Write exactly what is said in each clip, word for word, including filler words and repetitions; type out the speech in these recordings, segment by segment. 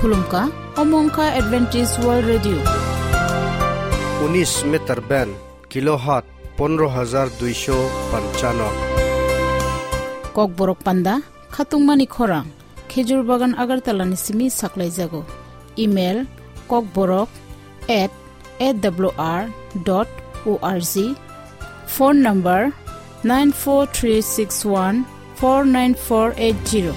Khulumkha, omo wngkha Adventist World Radio. Unis meter band, kilohertz pondro hajar duisho panchano. Kokborok panda, khatungmani khorang, Khejur Bagan Agartala ni simi saklaijago. Email, kokborok at A W R dot O R G. Phone number nine four three six one four nine four eight zero.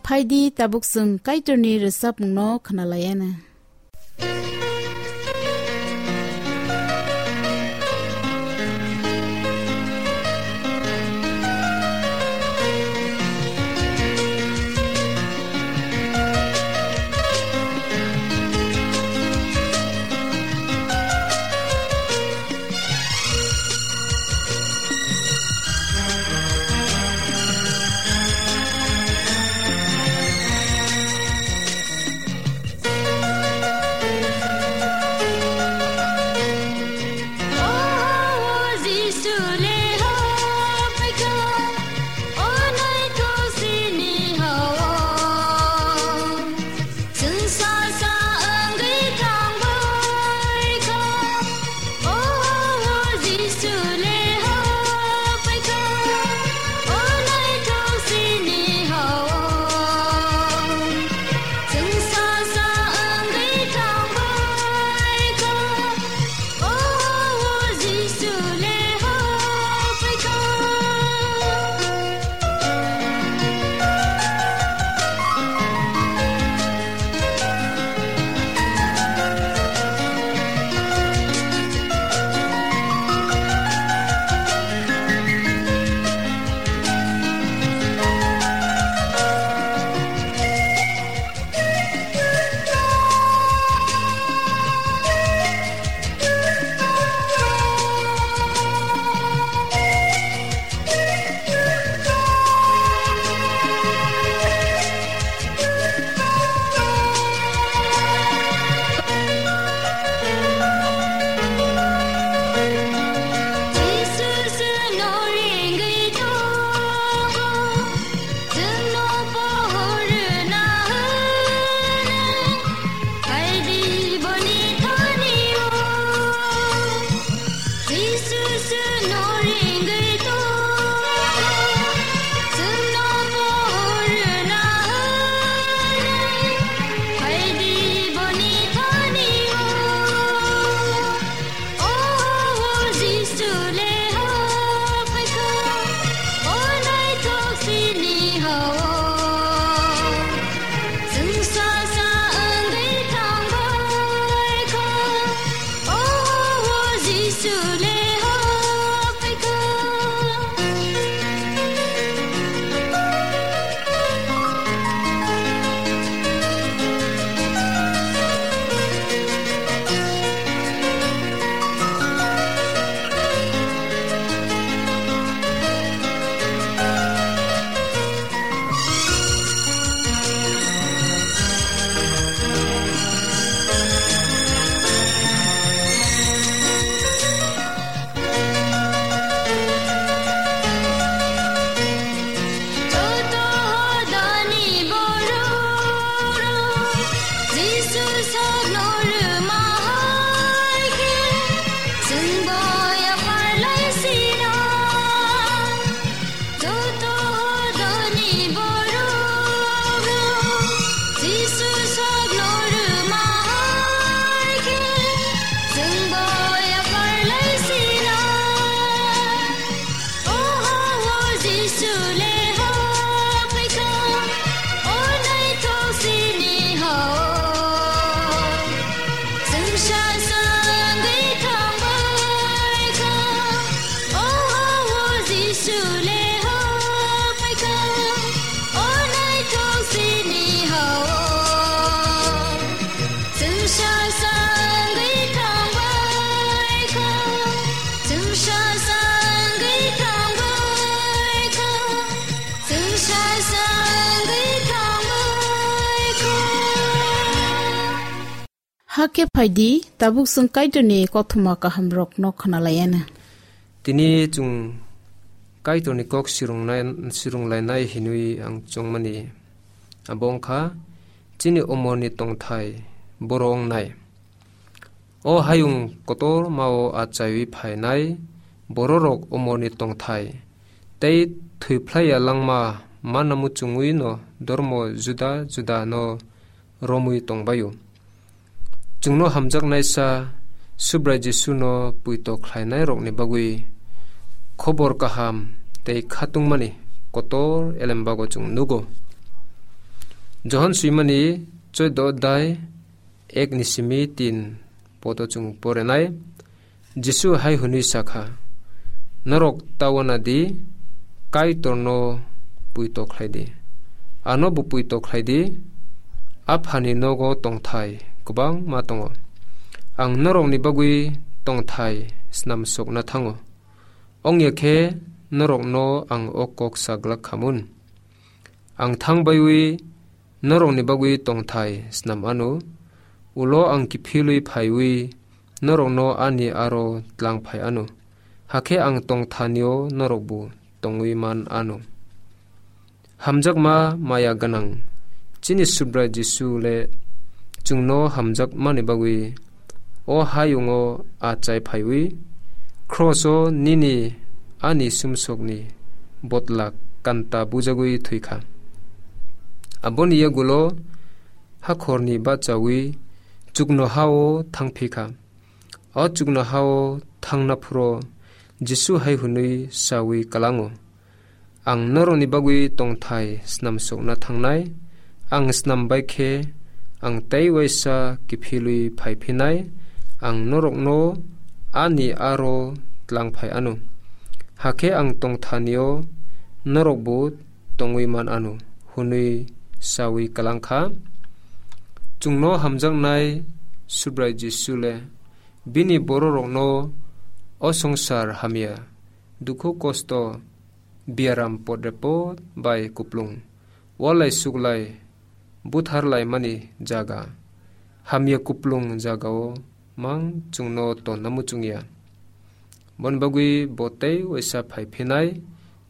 Phaidi tabuk chwng Kaitorni rwchapmungno khwnalaiana. Hakhe phai di, tabuk chwng Kaitorni kothoma kahamrokno khna lai anw. Tini chwng Kaitorni kok sirungnai-, sirunglainai hinwi ang chongmani abo wng kha chini umorni tongthai boro wngnai. O hayung kotormao achaiwi phainai bororok umorni tongthai tei thwiphlaiya langma manna muchungwino dormo juda judano romwi tongbaio. Chwngno hamjaknaisa Subrai Jisuno puito khlainairokni bagwi khobor kaham tei khatungmani kotor elembago chwng nugo. Johon swimani chwdw odhai ek ni simi tin poto chwng porenai. Jisu hai hwnwi sa kha, "Norok ta uana di, Kaitorno puito khlai di. Ano bo puito khlai di, Aphani nogo tongthai kwbangma tongo. Ang norokni bagwi tongthai snamsokna thango. Wngya khe norokno ang o kok sa glak kha mun. Ang thang baiwi norokni bagwi tongthai snam anw, ulo ang kiphilwi phaiwi norokno ani aro tlang phai anw, hakhe ang tongthanio norokbo tongwi man anw." Hamjakma maya gwnang chini Subrai Jisu le chwngno hamjakmani bagwi o hayungo achai phaiwi, kroso nini ani sumsokni botla kanta bujagwi thwi kha. Aboni yagulo hakhorni bachawi chuknohao thangphi kha. O chuknohao thangna phuro Jisu hai hwnwi sawi kalango, "Ang norokni bagwi tongthai snamsokna thangnai. Ang snam bai khe ang tei uaisa kiphilwi phai phinai. Ang norokno ani aro tlang phai anw, hakhe ang tongthanio norokbo tongwi man anw," hwnwi sawi kalang kha. Chwngno hamjaknai Subrai Jisu le bini bororokno o songsar hamya, dukhu kosto, biaram podrepot bai kuplung, walai suklai, buthar laimani jaga, hamya kuplung jagao mang chwngno tonna muchungya. Boni bagwi bo tei uaisa phai phinai,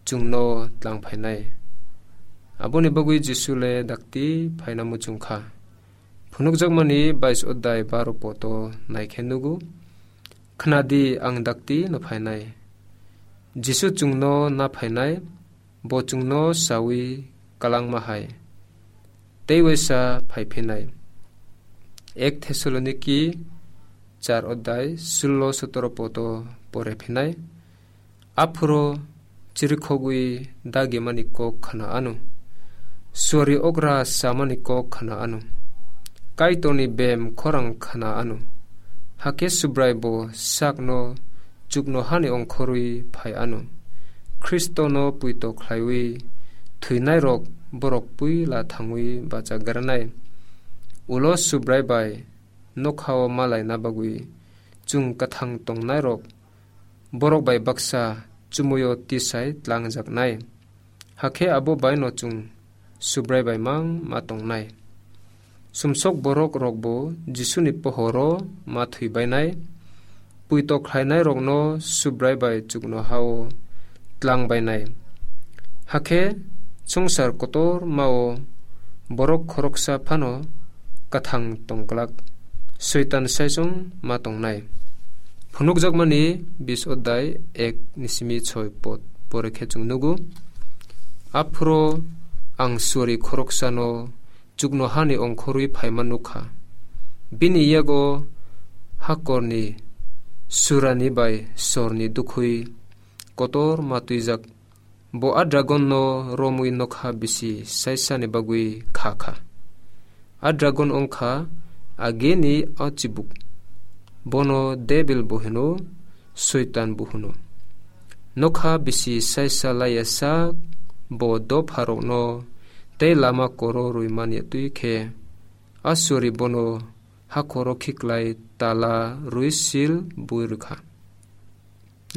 chwngno tlang phainai. Aboni bagwi Jisu le dakti phaina muchung kha. Phunukjakmani bais odhai baro poto naikhe nugo, "Khna di, ang dakti no phainai." Jisu chwngno na phainai, bo chwngno sawi kalangma hai tei uaisa phai phinai. Ek Thessaloniki char odhai sullo sotoro poto pore phinai. Aphuro chirikhogwi dagimani kok khna anw, suari okra samani kok khna anw, Kaitorni bem khorang khna anw. Hakhe Subrai bo sakno chuknohani ongkhorwi phai anw. Khristono puito khlaiwi thwinairok borok puila thangwi bachagranai. Ulo Subrai bai nokhao malaina bagwi chwng kwthang tongnairok borok bai baksa chumuyo tisai tlangjaknai. Hakhe abo baino chwng Subrai bai mang ma tongnai. Sumsok borok rokbo Jisuni pohoro ma thwi bainai. Puito khlainairokno Subrai bai chuknohao tlang bainai. Hakhe songsar kotor mao borok khoroksa phano kathang tongglak, Soitan saichung ma tongnai. Phunukjakmani bis odhai ek ni simi soi pod pore khe chwng nugo. Aphuro ang suari khoroksano chuknohani ongkhorwi phaima nukha. Bini yago hakorni surani bai sorni dukhwi kotor ma twijak. Bo a dragonno romwi nokha bisi saisani bagwi kha kha. A dragon wngkha agini a chibuk. Bono Debil bo hino, Soitan bo hino. Nokha bisi saisa laiya sak bo dopharokno tei lama koro rwimani twi khe a suari bono hakhoro khiklai tala rwi sil bui rwkha.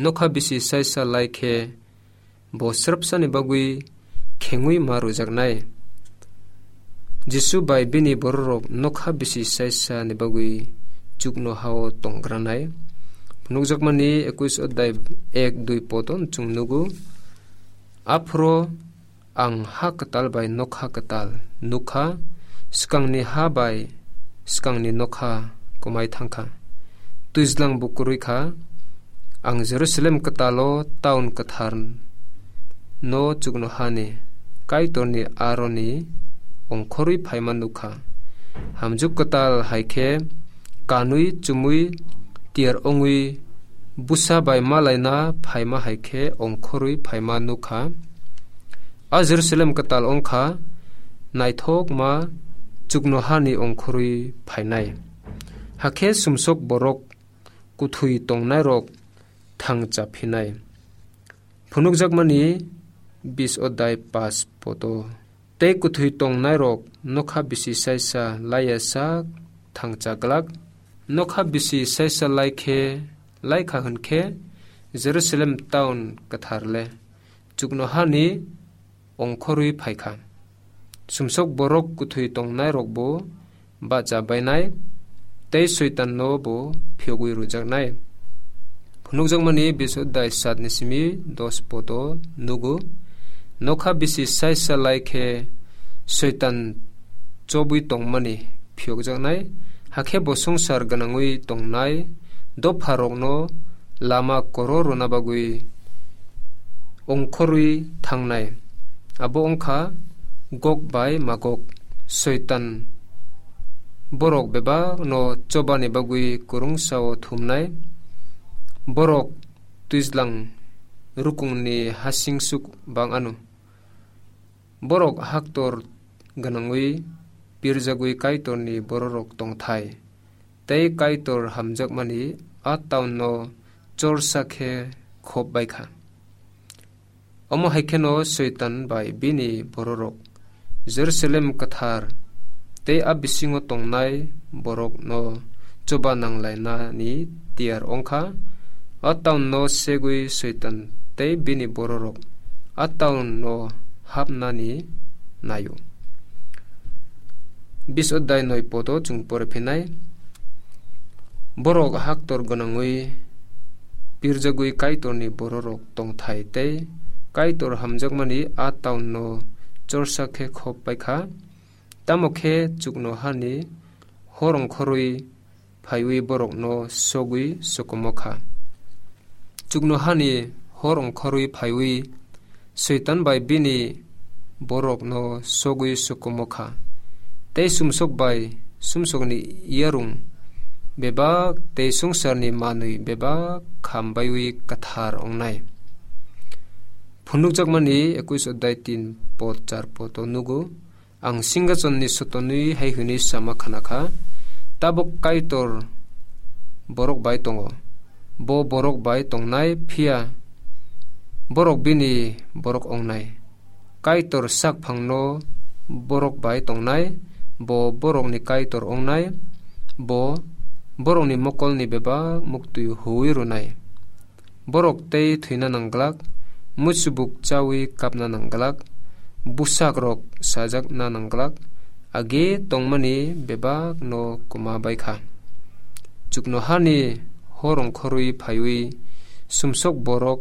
Nokha bisi saisa lai khe bo srapsani bagwi khengwi ma rwjaknai. Jisu bai bini bororok nokha bisi saisani bagwi chuknohao tonggranai. Phunukjakmani ekuis odai ek dui podo chwng nugo. Aphro ang ha kwtal bai nokha kwtal nukha, swkangni ha bai swkangni nokha kwmai thangkha. Twijlang bo kwrwi kha. Ang Jerusalem kwtalo taun kwthar no chuknohani Kaitorni aroni ongkhorwi phaima nukha. Hamjwk kwtal hai khe kanwi chumwi tiyar ongwi bwsa bai malaina phaima hai khe ongkhorwi phaima nukha. A Jerusalem kwtal wngkha naithokma chuknohani ongkhorwi phainai. Hakhe sumsok borok kuthwi tongnairok thangcha phinai. Phunukjakmani bis odai pas poto. Tei kuthwi tongnairok nokha bisi saisa laiya sak thangcha glak. Nokha bisi saisa lai khe, lai kha hwn khe Jerusalem taun kwthar le chuknohani ongkhorwi phai kha. Sumsok borok kuthwi tongnairok bo bacha bainai, tei Soitanno bo phiyogwi rwjaknai. Phunukjakmani bis odai sat ni simi dos poto nugo. Nokha bisi saisa lai khe Soitan chobwi tongmani phiyokjaknai, hakhe bo swngchar gwnangwi tongnai dopharokno lama koro rwna bagwi ongkhorwi thangnai. Abo wngkha Gog bai Magog. Soitan borok bebakno chobani bagwi kwrwngsao thumnai. Borok twijlang rukungni hasing suk bang ano. Borok haktor gwnangwi pirjagwi Kaitorni bororok tongthai, tei Kaitor hamjakmani a taunno chorsa khe khop bai kha. Omo hai kheno Soitan bai bini bororok Jerusalem kwthar tei a bisingo tongnai borokno chuba nanglainani tiyar wngkha. A taunno segwi Soitan tei bini bororok a taunno hapnani naio. Bis odai noi poto chwng pore phinai. Borok haktor gwnangwi pirjagwi Kaitorni bororok tongthai tei Kaitor hamjakmani a taunno chorsa khe khop pai kha. Tamo khe chuknohani hor ongkhorwi phaiwi borokno sogwi sokomo kha. Chuknohani hor ongkhorwi phaiwi Soitan bai bini borokno sogwi sokomo kha. Tei sumsok bai sumsokni yarung bebak tei swngcharni manwi bebak kham baiwi kwthar ongnai. Phunukjakmani ekuis odai tin pod char pod o nugo. Ang singhasonni sotonwi hai hwnwi sama khna kha, "Tabuk Kaitor borok bai tongo, bo borok bai tongnai, phiya borok bini borok ongnai. Kaitor sak phangno borok bai tongnai, bo borokni Kaitor ongnai, bo borokni mokolni bebak muktwi huwi rwnai." Borok tei thwina nangglak, muchubuk chawi kapna nangglak, bwsakrok sajakna nangglak, age tongmani bebakno kwma bai kha. Chuknohani hor ongkhorwi phaiwi sumsok borok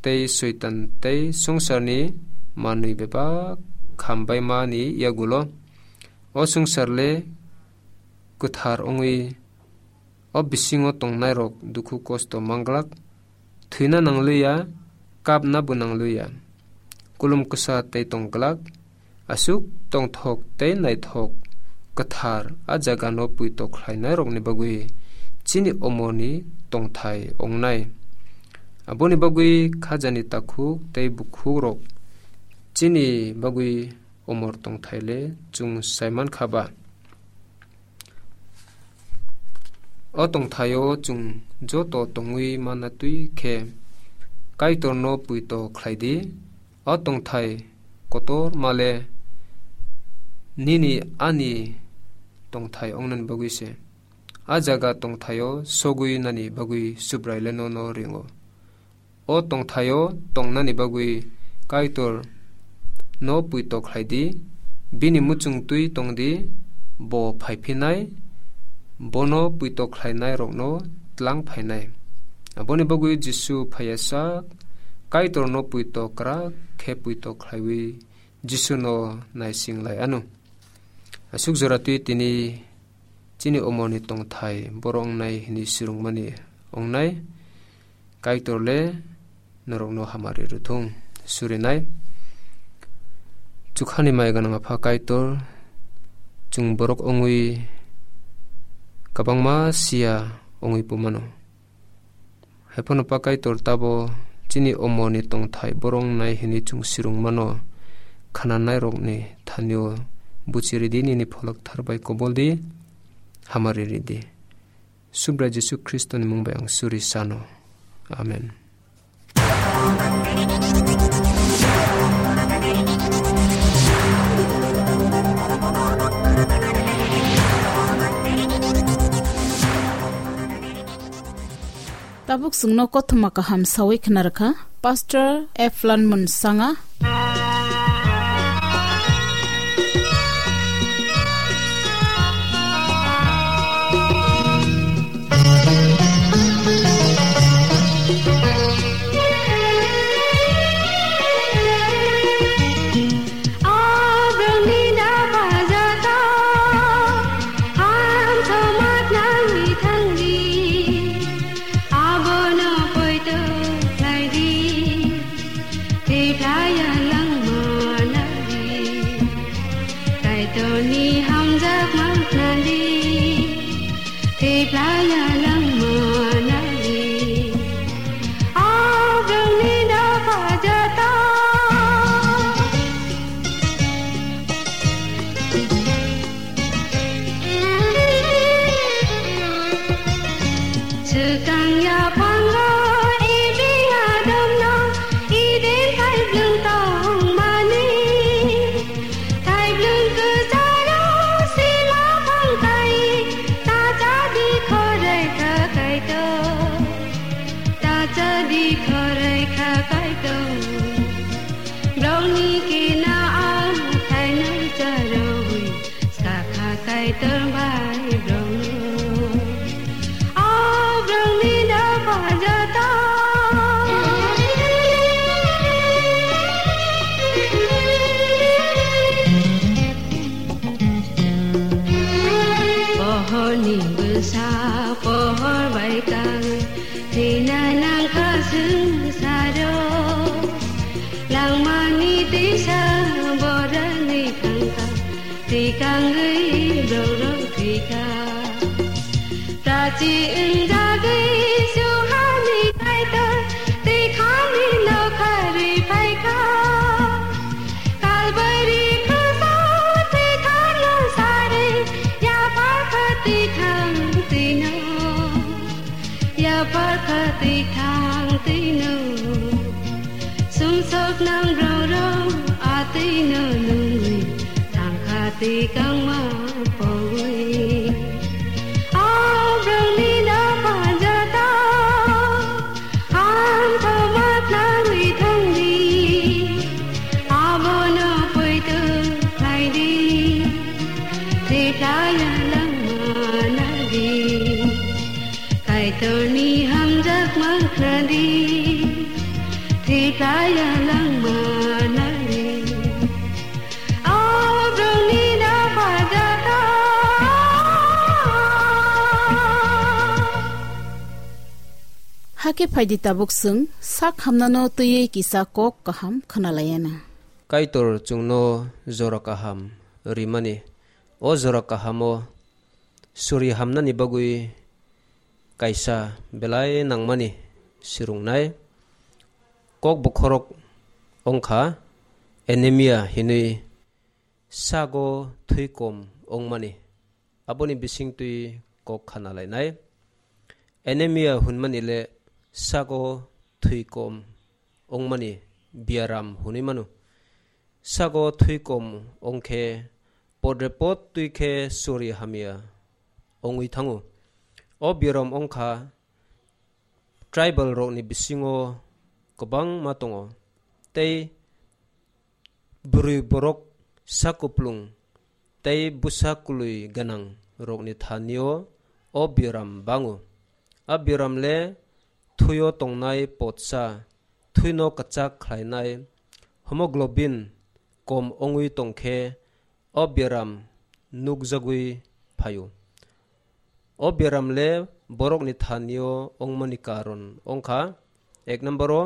tei Soitan tei swngcharni manwi bebak khambaimani yagulo o swngchar le kwthar wngwi o bisingo tongnairok dukhu kosto manglak, thwina nangliya, kapna bo nangliya. Kulum kwsa tei tongglak, aswk tongthok tei naithok kwthar a jagano puito khlainairokni bagwi chini omorni tongthai ongnai. Aboni bagwi khajani takhuk tei bukhukrok chini bagwi omor tongthai le chwng sai mankha ba? O tongthaio chwng joto tongwi manna twi khe Kaitorno puito khlai di. O tongthai kotor male nini ani tongthai ongnani bagwi se. A jaga tongthaio sogwi nani bagwi Subrai le nono ringo. O tongthaio tongnani bagwi Kaitor no puito khlai di, bini muchung twi tong di, bo phai phinai, bono puito khlainairokno tlang phainai. Aboni bagwi Jisu phaiyasak Kaitorno puito kwrak khe puito khlaiwi Jisuno naising lai anw. Aswk jora twi tini chini omorni tongthai borok wngnai hwnwi swrwngmani wngnai. Kaitor le norokno hamari rwthung. Surinai. Chukhani mai gwnang Apha Kaitor, chwng borok wngwi kwbangma siya wngwi pumano. Haiphano Pa Kaitor tabo chini omorni tongthai borok wngnai hwnwi chwng swrwngmano khnanairokni thanio buchi ridi nini pholok thar bai kobol di, hamari ridi. Subrai Jisu Khristoni mung bai ang suri sano. Amen. Tabuk chwngno kothoma kaham sawi khna rwkha Pastor Eflan Munsanga. Abono poito khlai di, tei playa langma nadi. Kaitorni hamjakma khnadi, tei playa langma nadi. Abrahmni dopha joto. Swkang yaphango Ebi Adamno Eden thaiblwng tongmani. Thaiblwng kwcharo sima phang kai, ta cha di khorai kha Kaitor, ta cha di khorai kha Kaitor. Brongni kina ang thainai charwi. Skakha Kaitor bai brongno. O brongni dopha joto. Pohorni bwsa pohor bai kang. Thwina nangkha swngsaro. Langmani tisa borani thangkha. Tikangwi borok thwikha. Tachi wngjagwi suhani Kaitor twikhani nokharwi phaikha. Kalbari khuso twithangno sarwi yapharkha twithang twino. Yapharkha twithang twino. Sumsok nang roro atwino nungwi thangkha tikangma pogwi. O brongni dopha joto ang thomat nangwi thangdi. Abono poito khlaidi. Thwiplaya langma nadi. Kaitorni hamjakma khnadi, thwiplaya langma nadi. O brongni dopha joto. Hakhe phaidi tabuk chwng sak hamnano twiwi kisa kok kaham khwnalaiyana. Kaitor chwngno jora kaham rimani. O jora kahamo suri hamnani bagwi kaisa belai nangmani swrwngnai. Kok bokhorok wngkha anemia hinwi sago thwi kom wngmani. Aboni bisingtwi kok khana lainai. Anemia hwnmani le sago thwi kom wngmani biaram hwnwi mano. Sago thwi kom wngkhe podre pod twi khe suri hamya wngwi thango. O biaram wngkha tribal rokni bisingo kwbangma tongo, tei bwrwi borok sakuplung tei bwsa kwlwi gwnang rokni thanio o biaram bango. A biaram le thwio tongnai potsa, thwino kwchak khlainai hemoglobin kom wngwi tongkhe o biaram nukjagwi phaio. O biaram le borokni thanio wngmani karon wngkha, ek number o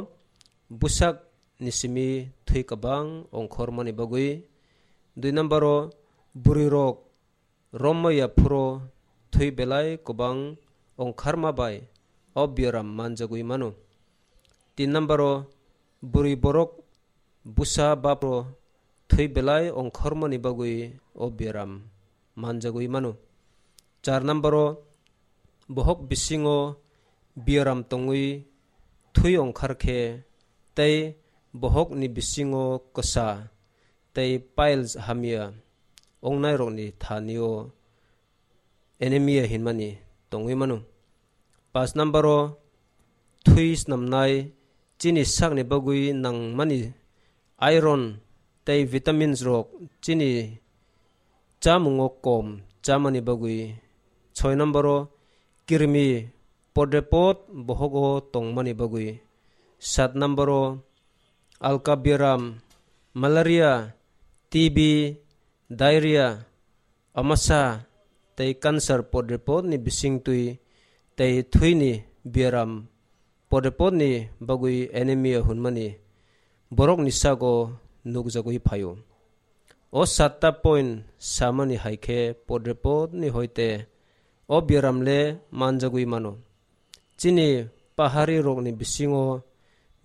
bwsak ni simi thwi kwbang ongkhormani bagwi, dui number o bwrwi rok romma ya phuro thwi belai kwbang ongkharma bai o biaram manjagwi mano. Tin number o bwrwi borok bwsa bapro thwi belai ongkhormani bagwi o biaram manjagwi mano. Char number o bohok bisingo biaram tongwi thwi ongkharkhe tei bohokni bisingo kwsa tei piles hamya ongnairokni thanio anemia hinmani tongwi mano. Pas number o thwi snamnai chini sakni bagwi nangmani iron tei vitamins rok chini chamungo kom chamani bagwi. Soi number o kirmi podrepot bohogo tongmani bagwi. Sat number o alka biaram, malaria, T B, diarrhea, amasa tei cancer podrepotni bisingtwi tei thwini biaram podrepotni bagwi anemia hwnmani borokni sago nukjagwi phaio. O satta point samani hai khe podrepotni hoite o biaram le manjagwi mano. Chini pahari rokni bisingo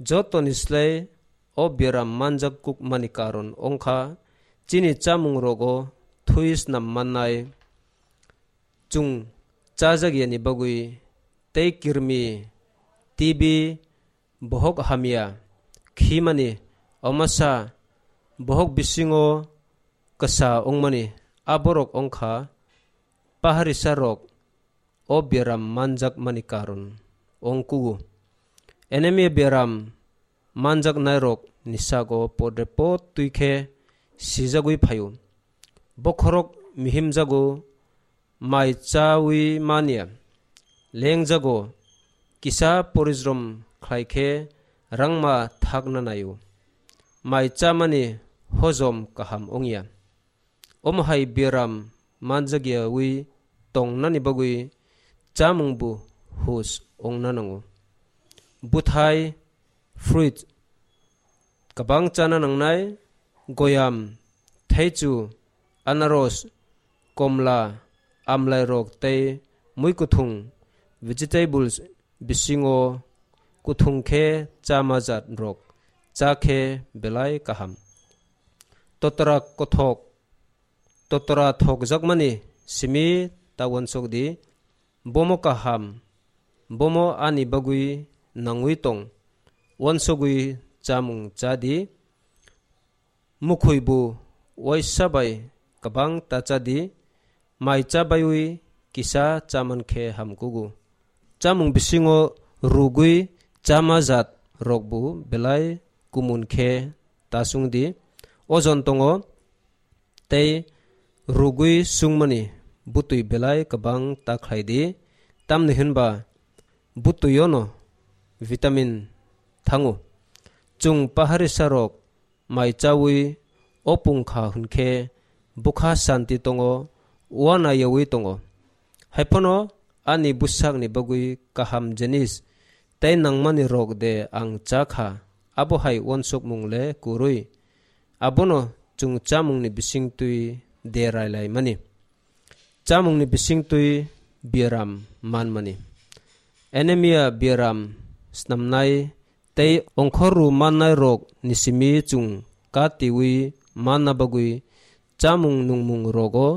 jotoni slai o biaram manjak kukmani karon wngkha chini chamung rogo thwi snam mannai, chung chajak yani bagwi tei kirmi, T B, bohok hamya, khimani, omasa, bohok bisingo kwsa wngmani, aborok wngkha paharisa rok o biaram manjakmani karon wngkugo. Anemia biaram manjaknairok ni sago podrepot twi khe sijagwi phaio. Bokhorok mihimjago, mai chawi manya, lengjago, kisa porijrom khlai khe rangma thakna naio. Mai chamani hojom kaham wngya. Omo hai biaram manjakyawi tongnani bagwi chamung bo hus wngna nango. Bwthai, fruit, kwbang chana nangnai, goyam, thaichu, anaros, komla, amlairok tei mui kuthung, vegetables, bisingo kuthung khe chama jat rok cha khe belai kaham. Totra kothok, totra thokjakmani simi ta uansuk di, bomo kaham, bomo ani bagwi nangwi tong, uansugwi chamung cha di, mukhwi bo uaisa bai kwbang ta cha di, mai cha baiwi kisa cha man khe hamkugo. Chamung bisingo rugwi chama jat rok bo belai kumun khe ta sung di, ojon tongo, tei rugwi sungmani bwtwi belai kwbang ta khlai di, tamni hwnba bwtwiono vitamin thango. Chwng paharisa rok mai chawi opung kha hwnkhe bwkha santi tongo, uanayawi tongo. Haiphano ani bwsakni bagwi kaham jinis tei nangmani rok de ang cha kha, abo hai uansukmung le kwrwi. Abono chwng chamungni bisingtwi de railaimani. Chamungni bisingtwi biaram manmani. Anemia biaram snamnai tei ongkhorru mannai rok ni simi chwng katiwi manna bagwi chamung nungmung rogo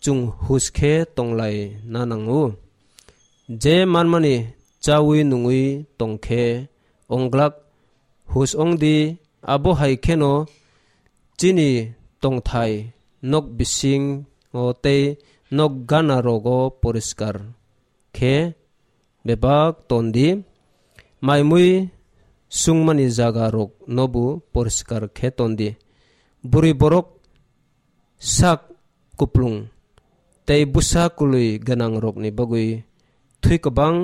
chwng hus khe tonglai na nango. Je manmani chawi nungwi tongkhe onglak hus ongdi, abo hai kheno chini tongthai nok bising o tei nok gana rogo poriskar khe bebak tondi, maimui sungmani jaga rok nobu poriskar khe tondi. Bwrwi borok sak kuplung tei bwsa kwlwi gwnangrokni bagwi thwi kwbang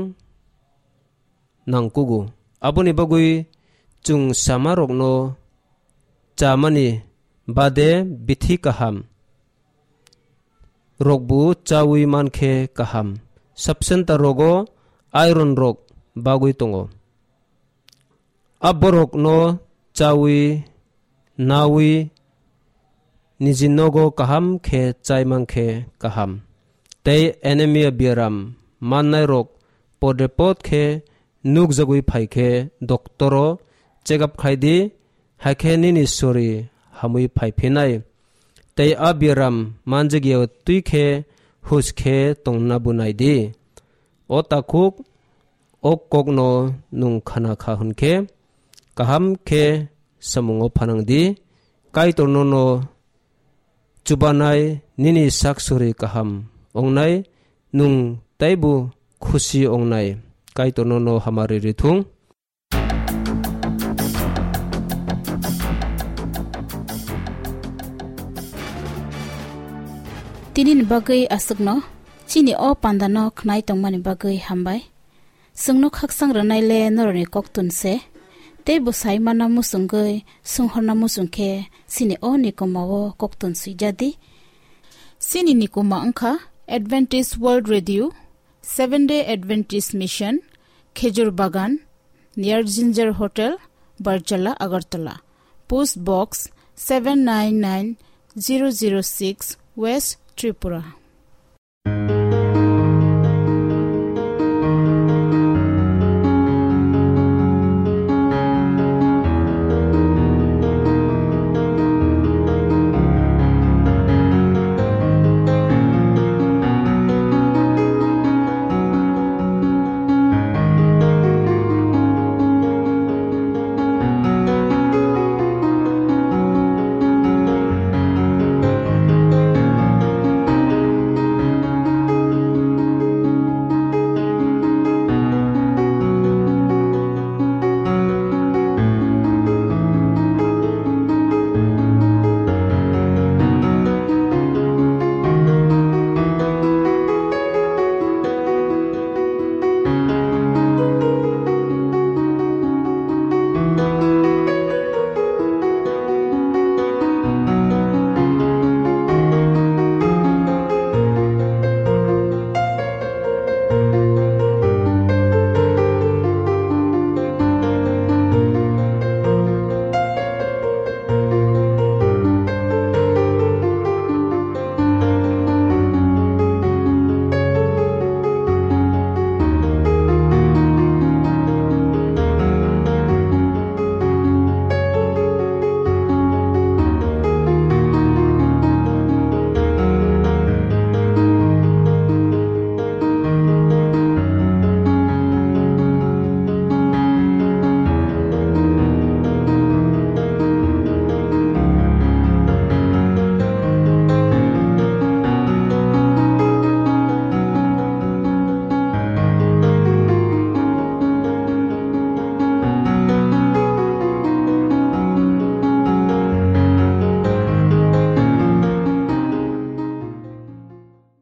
nangkugo. Aboni bagwi chwng chamarokno chamani bade bithi kaham rokbo chawi mankhe kaham. Sub-center rogo iron rok bagwi tongo. A borokno chawi nawi niji nogo kaham khe chai mankhe kaham. Tei anemia biaram mannai rok pode pod khe nukjagwi phai khe doktoro check up khai di, hai khe nini sori hamwi phai phinai. Tei a biaram manjak ya twi khe huj khe tongna bo nai di. O takhuk, o kokno nwng khana kha hwn khe, kaham khe samungo phanang di. Kaitor nono chubanai nini sak sori kaham ongnai, nwng taibo khusi ongnai. Kaitor nono hamari rithung. Tini ni bagwi aswkno, chini o panda no khnai tongmani bagwi hambai. Chwngno khaksang rwnai le norokni koktun se, tei bwsai mana muchungwi sunghorna muchung khe chini o nikoma o koktun swijadi. Chini nikoma wngkha Adventist World Radio, Seventh Day Adventist Mission, Khejur Bagan, near Ginger Hotel, Barjala, Agartala. Post Box seven nine nine zero zero six, West Tripura.